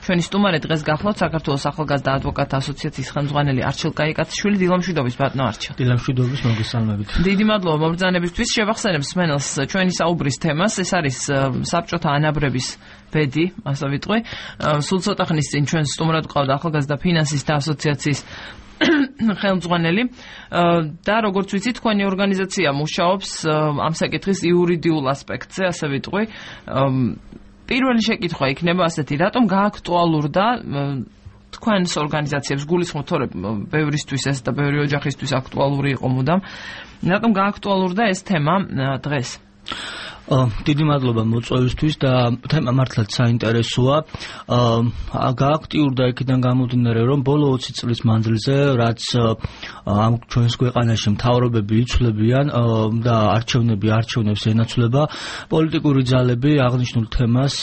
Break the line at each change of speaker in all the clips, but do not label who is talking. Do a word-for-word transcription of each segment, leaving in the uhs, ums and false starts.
ჩვენი სტუმარი დღეს გახლავთ საქართველოს ახალგაზრდა ადვოკატთა ასოციაციის ხელმძღვანელი არჩილ კაიკაციშვილი. დილამშვიდობის ბატონო არჩილ.
დილამშვიდობის, მოგესალმებით.
დიდი მადლობა მობრძანებისთვის. შევახსენებ მსმენელს ჩვენი საუბრის თემას. ეს არის საბჭოთა ანაბრების ბედი, ასე ვიტყვი. სულ ცოტა ხნის წინ ჩვენ სტუმრად გვყავდა ახალგაზრდა ფინანსისტთა ასოციაციის ხელმძღვანელი და როგორც ვიცით, თქვენი ორგანიზაცია მუშაობს ამ საკითხის იურიდიულ ასპექტზე, ასე ვიტყვი. პირველი შეკითხვა იქნება ასეთი, რატომ გააქტუალურდა თქვენს ორგანიზაციებს გულისხმობთ, თორე ბევრისთვის ეს და ბევრი ოჯახისთვის აქტუალური იყო მუდამ. რატომ გააქტუალურდა ეს თემა დღეს?
დიდი მადლობა მოწვევისთვის და თემა მართლაც საინტერესოა. გააქტიურდა იქიდან გამომდინარე, რომ ბოლო ოცი წლის მანძილზე, რაც ამ ჩვენს ქვეყანაში მთავრობები იცვლებიან და არჩევნები არჩევნებს ენაცვლება, პოლიტიკური ძალები აღნიშნულ თემას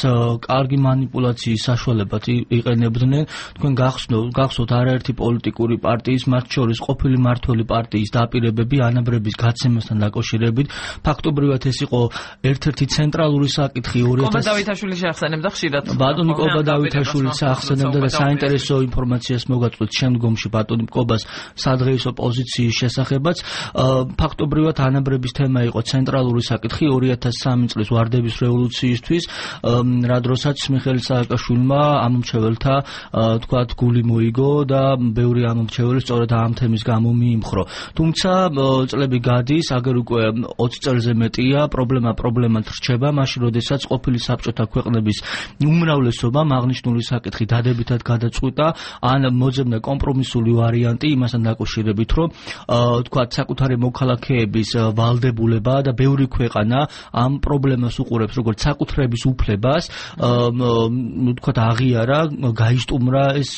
კარგი მანიპულაციის საშუალებად იყენებდნენ. თქვენ გახსოვთ არაერთი პოლიტიკური პარტიის, მათ შორის ყოფილი მმართველი პარტიის დაპირებები ანაბრების გაცემასთან დაკავშირებით. ფაქტობრივად ეს იყო ერთ-ერთი ცენტრალური საკითხი ორი ათას
კობა დავითაშვილი შეახსენებდა ხშირად.
ბატონი კობა დავითაშვილიც ახსენებდა და საინტერესო ინფორმაციას მოგაწვით შემდგომში ბატონი კობას სადღეისო პოზიციის შესახებაც. ფაქტობრივად ანაბრების თემა იყო ცენტრალური საკითხი ორი ათას სამი წლის ვარდების რევოლუციისთვის, რა დროსაც მიხეილ სააკაშვილმა ამომრჩეველთა თქვათ გული მოიგო და ბევრი ამომრჩეველი სწორედ ამ თემის გამო მიიმხრო. თუმცა წლები გადის, აგერ უკვე ოცი წელზე მეტია, პრობლემა პრობლემად რჩება, მაშინ როდესაც ყოფილი საბჭოთა ქვეყნების უმრავლესობამ აღნიშნული საკითხი დადებითად გადაწყვიტა, ან მოძებნა კომპრომისული ვარიანტი იმასთან დაკავშირებით, რომ თქვათ საკუთარი მოქალაქეების ვალდებულება და ბევრი ქვეყანა ამ პრობლემას უყურებს როგორც საკუთრების უფლებას, თქვათ აღიარა, გაისტუმრა ეს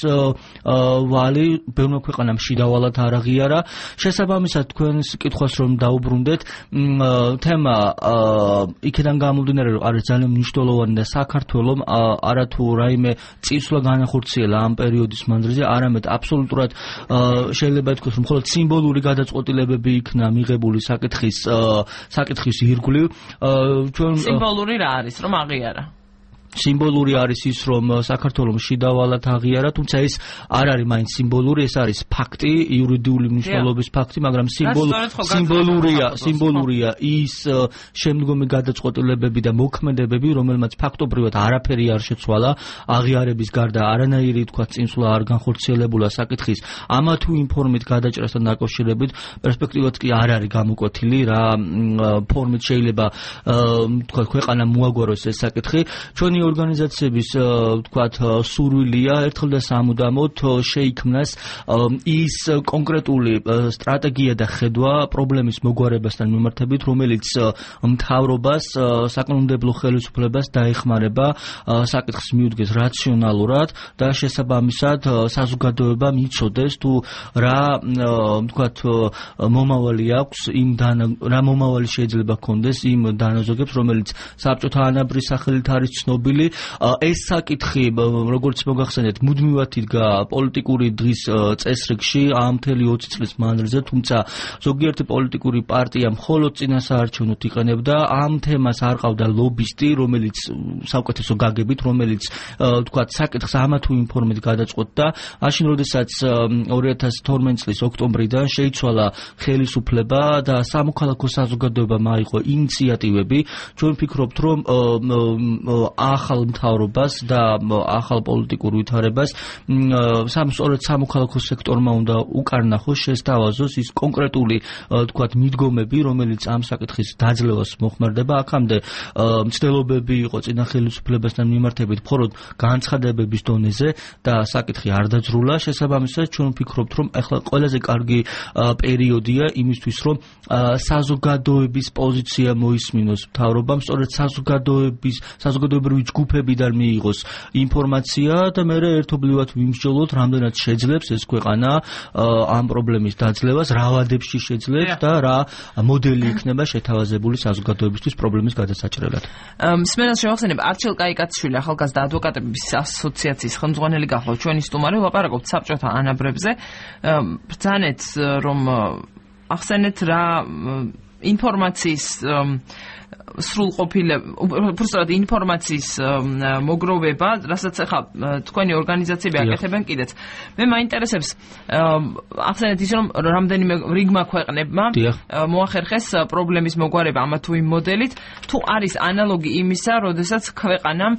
ვალი, ბევრმა ქვეყანამ შიდავალად არ აღიარა. შესაბამისად თქვენს კითხვას რომ დაუბრუნდეთ, თემა იქიდან გამომდინარე, რომ არის ძალიან მნიშვნელოვანი და საქართველოს არათუ რაიმე წინსვლა განახორციელა ამ პერიოდის მანძილზე, არამედ აბსოლუტურად შეიძლება ითქვას, რომ მხოლოდ სიმბოლური გადაწყვეტილებები იქნა მიღებული საკითხის საკითხის ირგვლივ.
სიმბოლური რა არის, რომ აღიარა?
სიმბოლური არის ის, რომ საქართველოს შიდავალად აღიარა, თუმცა ეს არ არის მაინც სიმბოლური, ეს არის ფაქტი, იურიდიული მნიშვნელობის ფაქტი, მაგრამ სიმბოლურია, სიმბოლურია ის შემდგომი გადაწყვეტილებები და მოქმედებები, რომელმაც ფაქტობრივად არაფერი არ შეცვალა, აღიარების გარდა არანაირი თქვა წინსვლა არ განხორციელებულა საკითხის ამა თუ იმ ფორმით გადაჭრასთან დაკავშირებით, პერსპექტივაც კი არ არის გამოკვეთილი, რა ფორმით შეიძლება თქვა ქვეყანა მოაგვაროს ეს საკითხი. ჩვენი ორგანიზაციების თქვათ სურვილია ერთხელ და სამუდამოდ შეიქმნას ის კონკრეტული სტრატეგია და ხედვა პრობლემის მოგვარებასთან მიმართებით, რომელიც მთავრობას, საკანონმდებლო ხელისუფლებას დაეხმარება საკითხს მიუდგეს რაციონალურად და შესაბამისად საზოგადოება მიცოდეს თუ რა თქვათ მომავალი აქვს იმ რა მომავალი შეიძლება ჰქონდეს იმ დანაზოგებს, რომელიც საბჭოთა ანაბრის სახელით არის ცნობილი. ეს საკითხი, როგორც მოგახსენეთ, მუდმივად იდგა პოლიტიკური დღის წესრიგში ამ მთელი ოცი წლის მანძილზე, თუმცა ზოგიერთი პოლიტიკური პარტია მხოლოდ წინასაარჩევნოდ იყენებდა ამ თემას, არ ყავდა ლობისტი, რომელიც საუკეთესო გაგებით, რომელიც თქვათ საკითხს ამა თუ იმ ფორმით გადაწყვეტდა. მაშინ როდესაც ორი ათას თორმეტი წლის ოქტომბრიდან შეიცვალა ხელისუფლება და სამოქალაქო საზოგადოებამ აიღო ინიციატივები, ჩვენ ვფიქრობთ, რომ ახალ მთავრობას და ახალ პოლიტიკურ ვითარებას სამსწორედ სამოქალაქო სექტორმა უნდა უკარნახოს, შესთავაზოს ის კონკრეტული თქვათ მიდგომები, რომელიც ამ საკითხის დაძლევას მოხმარდება. აქამდე მცდელობები იყო წინა ხელისუფლებასთან მიმართებით მხოლოდ განცხადებების დონეზე და საკითხი არ დაძრულა. შესაბამისად ჩვენ ვფიქრობთ, რომ ახლა ყველაზე კარგი პერიოდია იმისთვის, რომ საზოგადოების პოზიცია მოისმინოს მთავრობამ, სწორედ საზოგადოების საზოგადოებრივი ჯგუფებიდან მიიღოს ინფორმაცია და მე ერთობლივად ვიმსჯელოთ, რამდენად შეძლებს ეს ქვეყანა ამ პრობლემის დაძლევას, რა ვადებში შეძლებს და რა მოდელი იქნება შეთავაზებული საზოგადოებისთვის პრობლემის გადასაჭრელად.
მსმენელს შევახსენებ, არჩილ კაიკაციშვილი ახალგაზრდა ადვოკატების ასოციაციის ხელმძღვანელი გახლავთ ჩვენი სტუმარი, ვლაპარაკობთ საბჭოთა ანაბრებზე. ბრძანეთ, რომ ახსენეთ რა ინფორმაციის სრულყოფილება, უბრალოდ ინფორმაციის მოგროვება, რასაც ახლა თქვენი ორგანიზაციები აკეთებენ კიდეც. მე მაინტერესებს ახსენეთ ის რომ რამდენიმე რიგმა ქვეყნებმა მოახერხეს პრობლემის მოგვარება ამა თუ იმ მოდელით, თუ არის ანალოგი იმისა, როდესაც ქვეყანამ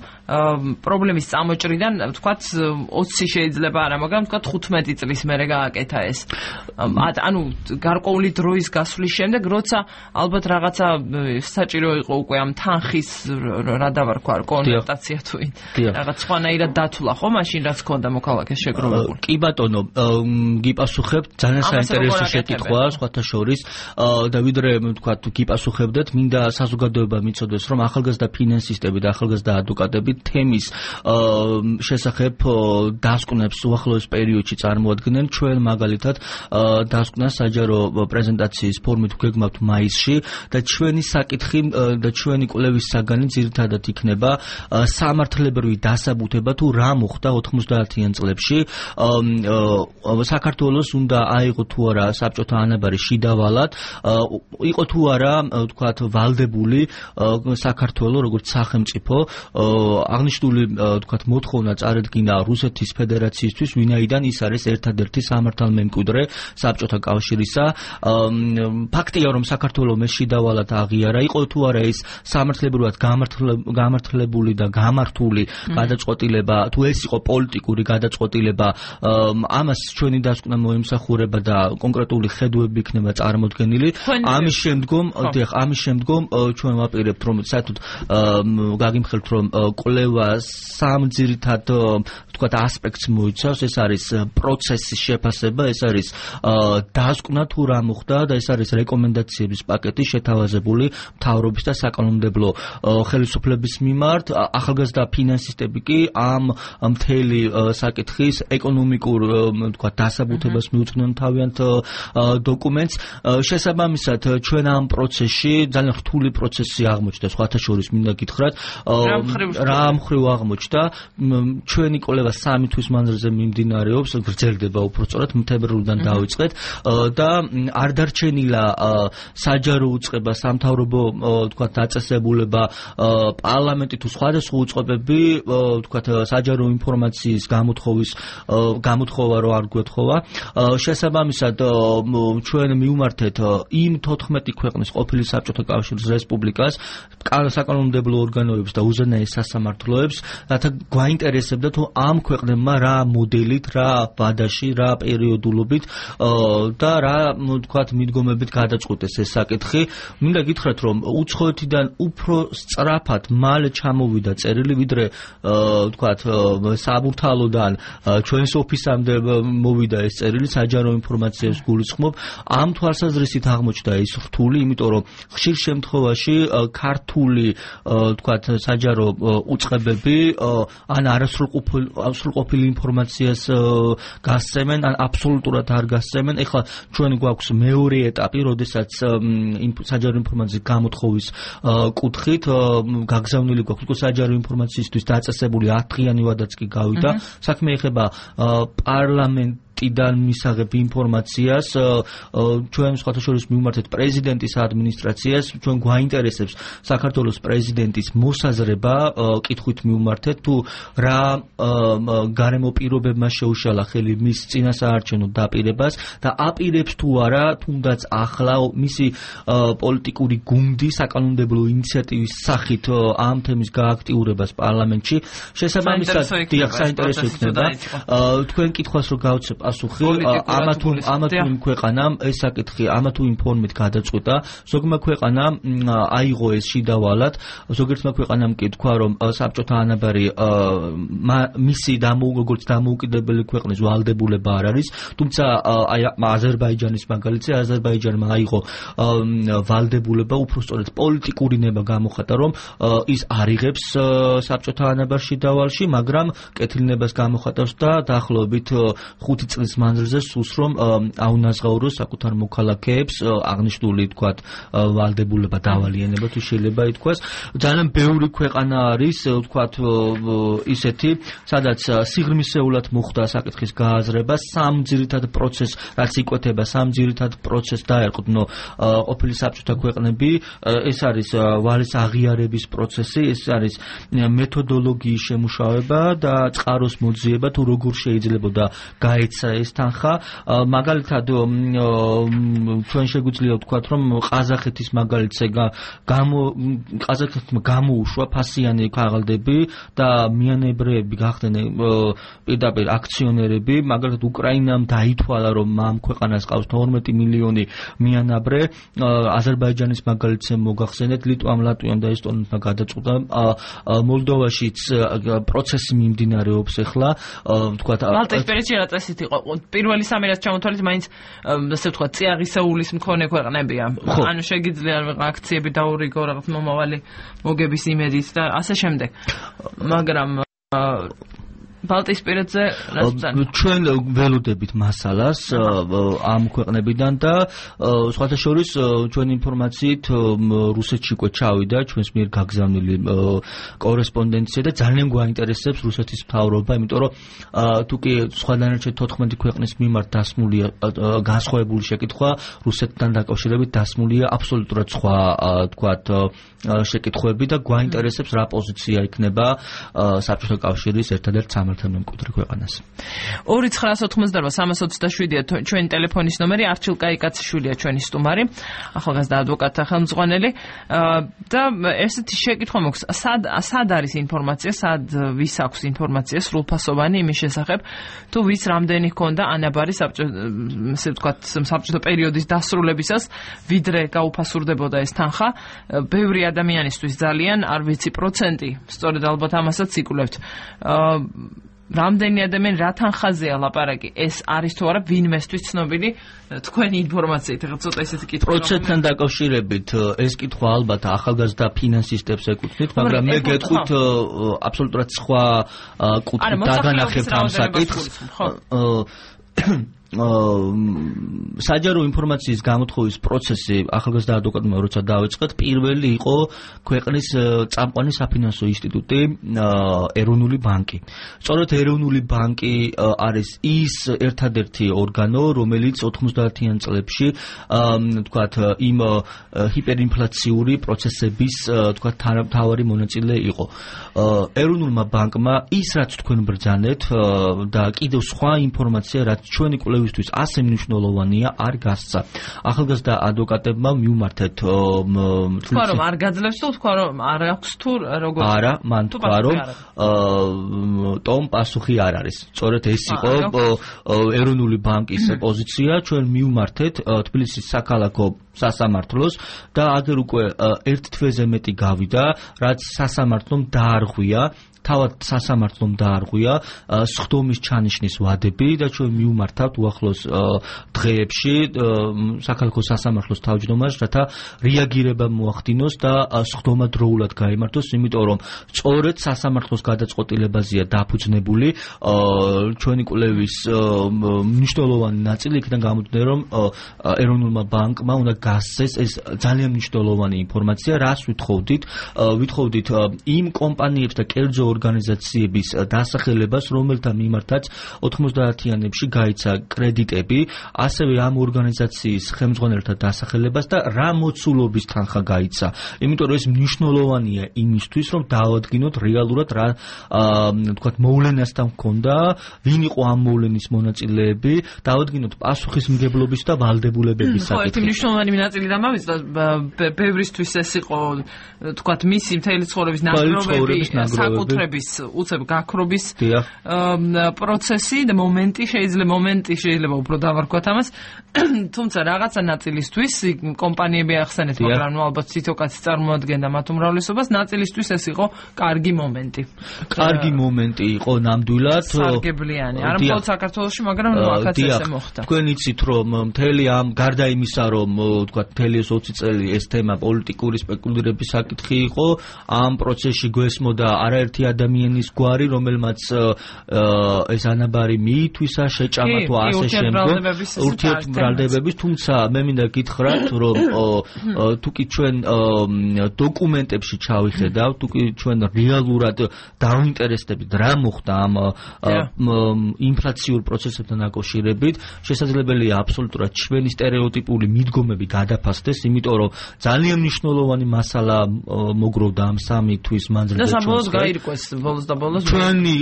პრობლემის წამოჭრიდან თქვათ ოცი შეიძლება არა, მაგრამ თქვათ თხუთმეტი წლის მერე გააკეთა ეს. ანუ გარკვეული დროის გასვლის შემდეგ, როცა ალბათ რაღაცა საჭირო იყო უკვე ამ თანხის რა დავარქვა კონვერტაცია თუ რაღაც სხვანაირად დათვლა ხო მაშინ რაც ქონდა მოქალაქეს შეგროვებული.
კი ბატონო, გიპასუხებთ ძალიან საინტერესო შეკითხვა სხვათა შორის და ვიდრე ვთქვათ გიპასუხებდეთ, მინდა საზოგადოება მიცოდეს რომ ახალგაზრდა ფინანსისტები და ახალგაზრდა ადვოკატები თემის შესახებ დასკვნებს უახლოეს პერიოდში წარმოადგენენ. ჩვენ მაგალითად დასკვნას საჯარო პრეზენტაციის ფორმით გვეგმავთ მაისში და ჩვენი საკითხი და ჩვენი კვლევის საგანი ძირითადად იქნება სამართლებრივი დასაბუთება თუ რა მოხდა ოთხმოცდაათიან წლებში საქართველოს უნდა აიღო თუ არა საბჭოთა ანაბარი შიდავალად, იყო თუ არა ვთქვათ ვალდებული საქართველოს როგორც სახელმწიფო, აღნიშნული ვთქვათ მოთხოვნა წარედგინა რუსეთის ფედერაციისთვის, ვინაიდან ის არის ერთადერთი სამართალმემკვიდრე საბჭოთა კავშირისა. ფაქტია რომ საქართველოს მე შიდავალად აღიარა, იყო თუ არა ის სამართლებრივად გამართლებული და გამართული გადაწყვეტილება, თუ ეს იყო პოლიტიკური გადაწყვეტილება, ამას ჩვენი დასკვნა მოემსახურება და კონკრეტული ხედვები იქნება წარმოდგენილი. ამის შემდგომ, დიახ, ამის შემდგომ ჩვენ ვაპირებთ რომ საერთოდ გაგიმხელთ რომ კვლევა სამ ძირითად ვთქვათ ასპექტს მოიცავს, ეს არის პროცესის შეფასება, ეს არის დასკვნა თუ რა მოხდა და ეს არის რეკომენდაციების პაკეტი შეთავაზებული მთავრობის და საკანონმდებლო ხელისუფლების მიმართ. ახალგაზრდა ფინანსისტები კი ამ მთელი საკითხის ეკონომიკურ ვთქვათ დასაბუთებას მიუძღვნენ თავიანთ დოკუმენტს. შესაბამისად ჩვენ ამ პროცესში ძალიან რთული პროცესი აღმოჩნდა, სხვათა შორის მინდა გითხრათ რა მხრივ აღმოჩნდა. ჩვენი კვლევა სამი თვის მანძილზე მიმდინარეობს, გრძელდება უბრალოდ მთებერვლიდან დავიწყეთ და არ დარჩენილა საჯარო უწყება, სამთავრობო ვთქვათ დაწესებულება, პარლამენტი თუ სხვადასხვა უწყებები ვთქვათ საჯარო ინფორმაციის გამოთხოვის გამოთხოვა რო არ გვეთხოვა. შესაბამისად ჩვენ მივმართეთ იმ თოთხმეტი ქვეყნის ყოფილი საბჭოთა კავშირის რესპუბლიკას, საკანონმდებლო ორგანოებს და უზენაეს სასამართლოებს, რათა გვაინტერესებდა თუ ამ ქვეყნებმა რა მოდელით, რა ვადაში, რა პერიოდულობით და რა ვთქვათ მიდგომებით გადაწყვეტეს ეს საკითხი. მინდა გითხრათ რომ უცხოეთიდან უფრო სწრაფად მალე ჩამოვიდა წერილი, ვიდრე ვთქვათ საბურთალოდან ჩვენს ოფისამდე მოვიდა ეს წერილი, საჯარო ინფორმაციას გულისხმობ. ამ თვალსაზრისით აღმოჩნდა ის რთული, იმიტომ რომ ხშირ შემთხვევაში ქართული ვთქვათ საჯარო უწყებები ან არასრულყოფილ ინფორმაციას გასცემენ, ან აბსოლუტურად არ გასცემენ. ეხლა ჩვენ გვაქვს მეორე ეტაპი, როდესაც საჯარო ინფორმაციის გამოთხოვის კუთხით გაგზავნილი გვაქვს საჯარო ინფორმაციისთვის დაწესებული ათდღიანი ვადაც კი გავიდა. საქმე ეხება პარლამენტ ტიდან მისაღებ ინფორმაციას, ჩვენ სხვათა შორის მივმართეთ პრეზიდენტის ადმინისტრაციას, ჩვენ გვაინტერესებს საქართველოს პრეზიდენტის მოსაზრება, კითხვით მივმართეთ თუ რა გარემო პირობებმა შეუშალა ხელი მის წინასაარჩევნო დაპირებას და აპირებს თუ არა თუნდაც ახლა მისი პოლიტიკური გუნდი საკანონმდებლო ინიციატივის სახით ამ თემის გააქტიურებას პარლამენტში. შესაბამისად, დიახ, საინტერესო იქნება. თქვენ კითხვას რო გავცებ პასუხი, ამა თუ ამა თუ იმ ქვეყანამ ეს საკითხი ამა თუ იმ ფორმით გადაწყვიტა, ზოგმა ქვეყანამ აიღო ეს შიდავალად, ზოგიერთმა ქვეყანამ კი თქვა რომ საბჭოთა ანაბარი მისი როგორც დამოუკიდებელი ქვეყნის ვალდებულება არ არის, თუმცა აი აზერბაიჯანის მაგალითზე აზერბაიჯანმა აიღო ვალდებულება, უბრალოდ პოლიტიკური ნება გამოხატა რომ ის არიღებს საბჭოთა ანაბარ შიდავალში, მაგრამ კეთილნებას გამოხატავს და დაახლოებით ხუთი წლის მანძილზე სულს რომ აუნაზღაუროს საკუთარ მოქალაქეებს აღნიშნული თქვათ ვალდებულება დავალიანება თუ შეიძლება ითქვას ძალიან ბევრი ქვეყანა არის თქვათ ისეთი სადაც სიღრმისეულად მოხდა საკითხის გააზრება სამ ძირითად პროცესს რაც იკვეთება სამ ძირითად პროცესს დაერყვნო ყოფილი საბჭოთა ქვეყნები ეს არის ვალის აღიარების პროცესი ეს არის მეთოდოლოგიის შემუშავება და წყაროს მოძიება თუ როგორ შეიძლებოდა გაეცა ეს თანხა მაგალითად ჩვენ შეგვიძლია ვთქვათ რომ ყაზახეთის მაგალითზე გამო ყაზახეთმა გამოუშვა ფასიანი ქაღალდები და მიანებრეები გახდნენ პირდაპირ აქციონერები მაგალითად უკრაინამ დაითვალა რომ ამ ქვეყანას ყავს თორმეტი მილიონი მიანაბრე აზერბაიჯანის მაგალითზე მოგახსენეთ ლიტვამ ლატვიამ და ესტონეთმა გადაწყვიტა მოლდოვაშიც პროცესი მიმდინარეობს ახლა ვთქვათ
მალტის პერიოდში რა წესით იყო პირველი სამი რაც ჩამოთვალეთ მაინც ასე ვთქვათ წიაღისეულის მქონე ქვეყნებია ანუ შეგიძლია აქციები დაურიგო რაღაც მომავალი მოგების იმედით და ასე შემდეგ მაგრამ ბალტიისპირეთზე
ჩვენ ველოდებით მასალას ამ ქვეყნებიდან და სხვათა შორის ჩვენ ინფორმაციით რუსეთში უკვე ჩავიდა ჩვენს მიერ გაგზავნილი კორესპონდენცია და ძალიან გვაინტერესებს რუსეთის მთავრობა იმიტომ რომ თუ კი სხვა დანარჩენ თოთხმეტი ქვეყნის მიმართ დასმულია განსხვავებული შეკითხვა რუსეთთან დაკავშირებით დასმულია აბსოლუტურად სხვა თქვათ შეკითხვები და გვაინტერესებს რა პოზიცია იქნება საბჭოთა კავშირის ერთადერთ მემკვიდრე ქვეყანას.
ორი ცხრაას ოთხმოცდარვა სამას ოცდაშვიდია ჩვენი ტელეფონის ნომერი არჩილ კაიკაციშვილია ჩვენი სტუმარი ახალგაზრდა ადვოკატთა ხელმძღვანელი და ესეთი შეკითხვა მოქვს სად სად არის ინფორმაცია სად ვის აქვს ინფორმაცია სრულფასოვანი იმის შესახებ თუ ვის რამდენი ჰქონდა ანაბარი ასე ვთქვათ საბჭოთა პერიოდის დასრულებისას ვიდრე გაუფასურდებოდა ეს თანხა ბევრი ადამიანისთვის ძალიან არ ვიცი პროცენტი სწორედ ალბათ ამასაც იკვლევთ რამდენი ადამიანი რა თანხაზეა ლაპარაკი ეს არის თუ არა ვინმესთვის ცნობილი თქვენი ინფორმაციით ახლა ცოტა ესეთი კითხვა
პროცენტთან დაკავშირებით ეს კითხვა ალბათ ახალგაზრდა ფინანსისტებს ეკუთვნით მაგრამ მე გეტყვით აბსოლუტურად სხვა კუთხით დაგანახებთ ამ საკითხს საჯარო ინფორმაციის გამოთხოვის პროცესი ახალგაზრდა ადვოკატმა როცა დაიწყეთ პირველი იყო ქვეყნის წამყვანი საფინანსო ინსტიტუტი ეროვნული ბანკი სწორედ ეროვნული ბანკი არის ის ერთადერთი ორგანო რომელიც ოთხმოცდაათიან წლებში თქვათ იმ ჰიპერინფლაციური პროცესების თქვათ თავარი მონაწილე იყო ეროვნულმა ბანკმა ის რაც თქვენ ბრძანეთ და კიდევ სხვა ინფორმაცია რაც ჩვენი კვლევისთვის ასე მნიშვნელოვანია არ გასცა. ახალგაზრდა ადვოკატებმა მიუმართეთ
თქვა რომ არ გაძლევს თუ თქვა რომ არ აქვს თუ როგორ
არა მან თქვა რომ ტომ პასუხი არ არის. სწორედ ეს იყო ეროვნული ბანკის პოზიცია ჩვენ მიუმართეთ თბილისის საქალაქო სასამართლოს და აგერ უკვე ერთ თვეზე მეტი გავიდა რაც სასამართლომ დაარღვია თავად სასამართლომ დაარღვია სხდომის ჩანიშნის ვადები და ჩვენ მიუმართავთ უახლოს დღეებში საქალაქო სასამართლოს თავმჯდომარეს რათა რეაგირება მოახდინოს და სხდომა დროულად გაიმართოს იმიტომ რომ სწორედ სასამართლოს გადაწყვეტილებაზეა დაფუძნებული ჩვენი კვლევის მნიშვნელოვანი ნაწილი იქიდან გამომდინარე რომ ეროვნულმა ბანკმა უნდა გასცეს ეს ძალიან მნიშვნელოვანი ინფორმაცია რას ვითხოვდით ვითხოვდით იმ კომპანიებს და კერძო ორგანიზაციების დასახელებას, რომელთა მიმართაც ოთხმოცდაათიანებში გაიცა კრედიტები, ასევე ამ ორგანიზაციის ხელმძღვანელთა დასახელებას და რა მოცულობის თანხა გაიცა. იმიტომ რომ ეს მნიშვნელოვანია იმისთვის, რომ დავადგინოთ რეალურად რა თქვათ მოვლენასთან ჰქონდა, ვინ იყო ამ მოვლენის მონაწილეები, დავადგინოთ პასუხისმგებლობის და ვალდებულებების საკითხი.
ხო, ერთი მნიშვნელოვანი ნაწილი დამავიწყდა ბევრისთვის ეს იყო თქვათ მისი მთელი ცხოვრების ნაგროვები, საკუთრების უცებ გაქრობის პროცესი და მომენტი შეიძლება მომენტი შეიძლება უფრო დავარქვათ ამას თუმცა რაღაცა ნაწილისთვის კომპანიები ახსენეთ მაგრამ ნუ ალბათ ციტოკაცი წარმოადგენდა მათ უმრავლესობას ნაწილისთვის ეს იყო კარგი მომენტი
კარგი მომენტი იყო ნამდვილად
სარგებლიანი არა მხოლოდ საქართველოში მაგრამ ნუ აქაც ესე მოხდა
თქვენ იცით რომ მთელი ამ გარდა იმისა რომ თქვათ მთელი ეს ოცი წელი ეს თემა პოლიტიკური სპეკულირების საკითხი იყო ამ პროცესში გვესმოდა არაერთი ადამიანის გვარი, რომელმაც ეს ანაბარი მიითვისა, შეჭამა თუ ასე შემდგომ ურთიერთმრავლდებების, თუმცა მე მინდა გითხრათ, რომ თუ კი ჩვენ დოკუმენტებში ჩავიხედავ, თუ კი ჩვენ რეალურად დავინტერესდებით რა მოხდა ამ ინფლაციურ პროცესებთან დაკავშირებით, შესაძლებელია აბსოლუტურად ჩვენი სტერეოტიპული მიდგომები გადაფასდეს, იმიტომ რომ ძალიან მნიშვნელოვანი მასალა მოგროვდა ამ სამი თვის მანძილზე.
და საბოლოოდ გაირკვეს ბოლოს და ბოლოს.
ჩვენი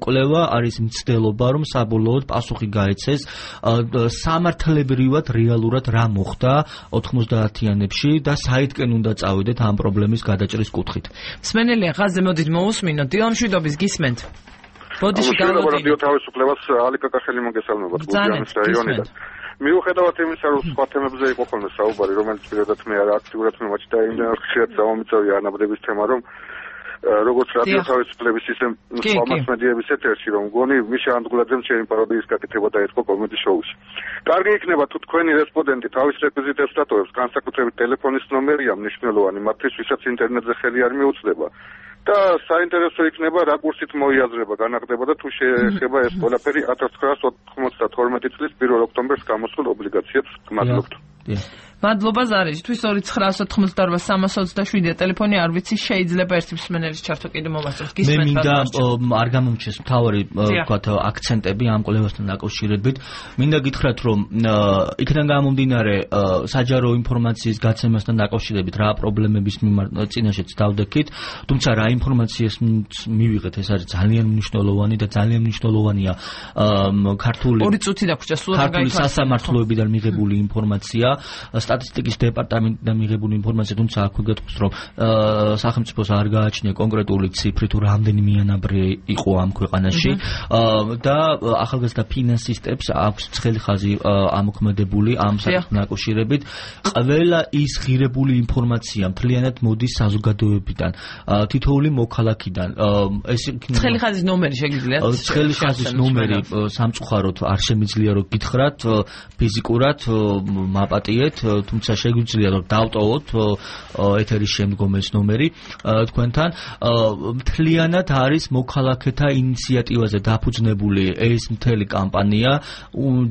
კვლევა არის მცდელობა, რომ საბოლოოდ პასუხი გაეცეს სამართლებრივად რეალურად რა მოხდა ოთხმოცდაათიანებში და საიდკენ უნდა წავიდეთ ამ პრობლემის გადაჭრის კუთხით.
მსმენელი ხაზზე მოდით მოусმინოთ. დილა მშვიდობის გისმენთ. ბოდიში
გავუდგინოთ. რადიო თავისუფლებას ალიკა კახელი მოგესალმებათ გურჯაანის რაიონიდან. მიუხედავად იმისა, რომ სხვა თემებზე იყო ხოლმე საუბარი, რომელიც პირადად მე არა აქტიურად მიმოჩნდა და იმდენად ხშირად დავამიწევია ანაბრების თემა, რომ როგორც რადიო თავისუფლების ისე სხვა მასმედიების ეთერში, რომ მგონი მიშა ანდღულაძემ ჩემი პაროდიის გაკეთება დაიწყო კომედი შოუში. კარგი იქნება თუ თქვენი რესპონდენტი თავის რეკვიზიტებს დატოვებს, განსაკუთრებით ტელეფონის ნომერია მნიშვნელოვანი, მათთვის ვისაც ინტერნეტზე ხელი არ მიუწვდება. და საინტერესო იქნება რა კურსით მოიაზრება, განაგდება და თუ შეეხება ეს ყველაფერი ათას ცხრაასი ოცდათორმეტი წლის პირველ ოქტომბერს გამოსულ ობლიგაციებს. მადლობთ.
მადლობა ზარიჯი. თვის ორი ცხრაასი ოცდაოთხი სამას ოცდაშვიდია ტელეფონი, არ ვიცი, შეიძლება ერთი მსმენელის ჩართო კიდე მოვასწროთ.
მე მინდა არ გამომჩეს მთავარი ვთქვათ აქცენტები ამ კვლევასთან დაკავშირებით. მინდა გითხრათ, რომ იქიდან გამომდინარე საჯარო ინფორმაციის გაცემასთან დაკავშირებით რა პრობლემების წინაშეც დავდექით, თუმცა რა ინფორმაციას მივიღეთ, ეს არის ძალიან მნიშვნელოვანი და ძალიან მნიშვნელოვანია ქართული
ორი წუთი დაგვრჩა სულ
ქართული სასამართლოებიდან მიღებული ინფორმაცია, სტატისტიკის დეპარტამენტიდან მიღებული ინფორმაცია, თუმცა აქვე გეტყვის, რომ სახელმწიფოს არ გააჩნია კონკრეტული ციფრი თუ რამდენი მიანაბრი იყო ამ ქვეყანაში და ახალგაზრდა ფინანსისტებს აქვს ცხელი ხაზი ამოქმედებული ამ საკითხთან დაკავშირებით. ყველა ის ღირებული ინფორმაცია მთლიანად მოდის საზოგადოებიდან, თითოეული მოქალაქიდან. ეს
ცხელი ხაზის ნომერი შეგიძლიათ?
ცხელი ხაზის ნომერი სამწუხაროდ არ შემიძლია რომ გითხრათ ფიზიკურად მაპატიეთ, თუმცა შეგვიძლია რომ დავტოვოთ ეთერის შემდგომ ეს ნომერი თქვენთან. მთლიანად არის მოქალაქეთა ინიციატივაზე დაფუძნებული ეს მთელი კამპანია.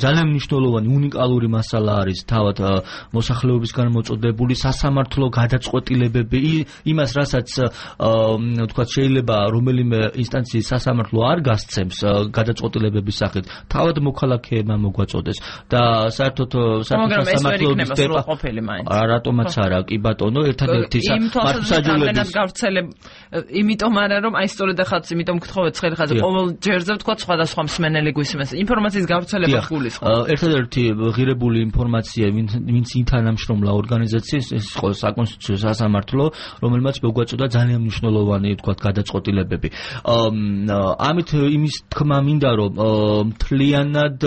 ძალიან მნიშვნელოვანი უნიკალური მასალა არის თავად მოსახლეობისგან მოწოდებული სასამართლო გადაწყვეტილებები, იმას რასაც თქვათ შეიძლება რომელიმე ინსტანციის სასამართლო არ გასცემს გადაწყვეტილებების სახით, თავად მოქალაქეებმა მოგვაწოდეს და საერთოდ სასამართლოების რატომაც არა, კი ბატონო, ერთადერთი
მართლმსაჯულების გავრცელებ, იმიტომ არა რომ აი სწორედ ახაც, იმიტომ გთხოვეთ ცხელი ხაზი, ყოველ ჯერზე ვთქვათ სხვადასხვა მსმენელი გვისმენს, ინფორმაციის გავრცელება გულისხმობს.
ერთადერთი ღირებული ინფორმაცია, ვინც ინთანამშრომლა ორგანიზაციის, ეს იყო საკონსტიტუციო სასამართლო, რომელმაც მოგვაწოდა ძალიან მნიშვნელოვანი ვთქვათ გადაწყვეტილებები. ამით იმის თქმა მინდა, რომ მთლიანად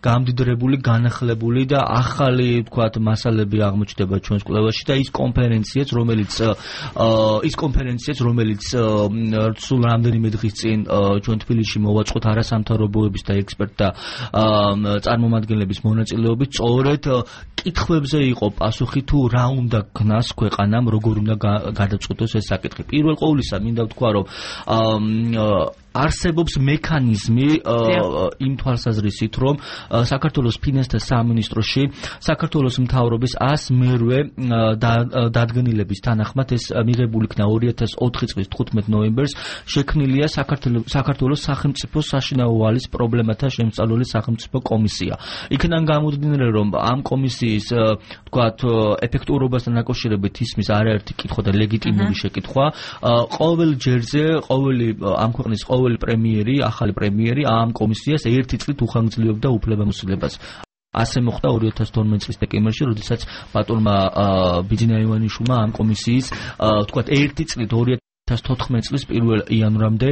გამდიდრებული, განახლებული და ახალი ვთქვათ მასალები აღმოჩნდება ჩვენს კვლევაში და ის კონფერენციაც, რომელიც ის კონფერენციაც, რომელიც სულ რამდენიმე დღის წინ ჩვენ თბილისში მოვაწყოთ არასამთავრობოების და ექსპერტთა წარმომადგენლების მონაწილეობით, სწორედ კითხვებზე იყო პასუხი თუ რა უნდა გნას ქვეყანამ, როგორ უნდა გადაწყვეტოს ეს საკითხი. პირველ ყოვლისა მინდა ვთქვა, რომ არსებობს მექანიზმი იმ თვალსაზრისით, რომ საქართველოს ფინანსთა სამინისტროში საქართველოს მთავრობის ას მერვე დადგენილების თანახმად ეს მიღებული იქნა ორი ათას ოთხი წლის თხუთმეტ ნოემბერს, შექმნილია საქართველოს სახელმწიფო საშინაო ვალის პრობლემათა შემსწავლელი სახელმწიფო კომისია. იქიდან გამომდინარე, რომ ამ კომისიის ვთქვათ ეფექტურობასთან დაკავშირებით ისმის არაერთი კითხვა და ლეგიტიმური შეკითხვა. ყოველ ჯერზე, ყოველი ამ ქვეყნის ყოველი პრემიერი, ახალი პრემიერი ამ კომისიას ერთი წლით უხანგრძლივებდა უფლებამოსილებას. ასე მოხდა ორი ათას თორმეტ წლის დეკემბერში, როდესაც ბატონმა ბიძინა ივანიშვილმა ამ კომისიის ვთქვათ ერთი წლით ორი ათას თოთხმეტ წლის პირველ იანვრამდე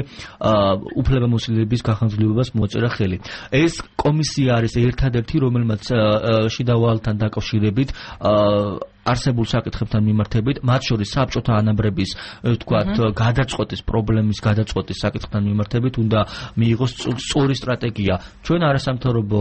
უფლებამოსილების გახანგრძლივებას მოაწერა ხელი. ეს კომისია არის ერთადერთი, რომელმაც შიდა ვალთან დაკავშირებით არსებულ საკითხებთან მიმართებით, მათ შორის საბჭოთა ანაბრების, ვთქვათ, გადაწყვეტის პრობლემის გადაწყვეტის საკითხთან მიმართებით უნდა მიიღოს სწორი სტრატეგია. ჩვენ არასამთავრობო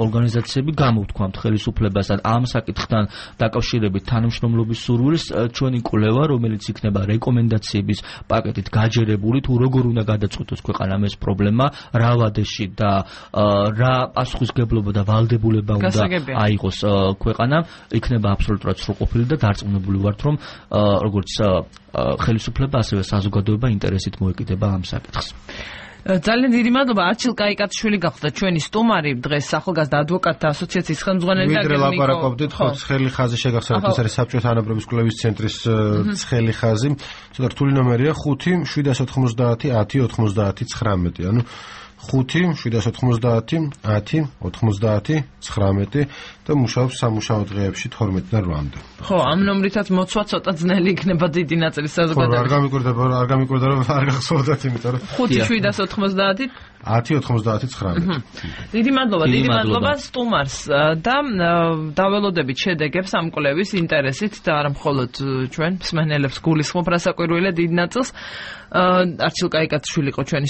ორგანიზაციები გამოვთქვამთ ხელისუფლებასთან ამ საკითხთან დაკავშირებით თანამშრომლობის სურვილს, ჩვენი კვლევა, რომელიც იქნება რეკომენდაციების პაკეტით გაჯერებული, თუ როგორ უნდა გადაწყვეტოს ქვეყანამ ეს პრობლემა, რა ვადეში და რა პასუხისგებლობა და ვალდებულება უნდა აიღოს ქვეყანამ, იქნება აბსოლუტურად სრულყოფილი და დარწმუნებული ვართ, რომ როგორც ხელისუფლება, ასევე საზოგადოება ინტერესით მოეკიდება ამ საკითხს.
ძალიან დიდი მადლობა. არჩილ კაიკაციშვილი გახდა ჩვენი სტუმარი დღეს ახალგაზრდა ადვოკატთა ასოციაციის ხელმძღვანელი და
ვიდრე ლაპარაკობდით, ხო, ცხელი ხაზი შეგახსენებთ, ეს არის საბჭოთა ანაბრების კვლევის ცენტრის ცხელი ხაზი. ცოტა რთული ნომერია ხუთი შვიდას ოთხმოცდაათი ათი ოთხმოცდაათი ცხრამეტი, ანუ ხუთი შვიდას ოთხმოცდაათი ათი ოთხმოცდაათი ცხრამეტი და მუშაობს სამუშაო დღეებში თორმეტი და რვამდე.
ხო, ამ ნომრითაც მოცვა ცოტა ძნელი იქნება დიდი ნაწილი საზოგადოების.
ხო, არ გამიკვირდება, არ გამიკვირდა რომ არ გახსოვდათ, იმიტომ რომ
ხუთი შვიდას ოთხმოცდაათი
ათი ოთხმოცდაათი ცხრამეტი.
დიდი მადლობა, დიდი მადლობა სტუმარს და დაველოდებით შედეგებს ამ კვლევის ინტერესით და არა მხოლოდ ჩვენ მსმენელებს გულისხმობ რასაკვირველია დიდ ნაწილს. არჩილ კაიკაციშვილი იყო ჩვენი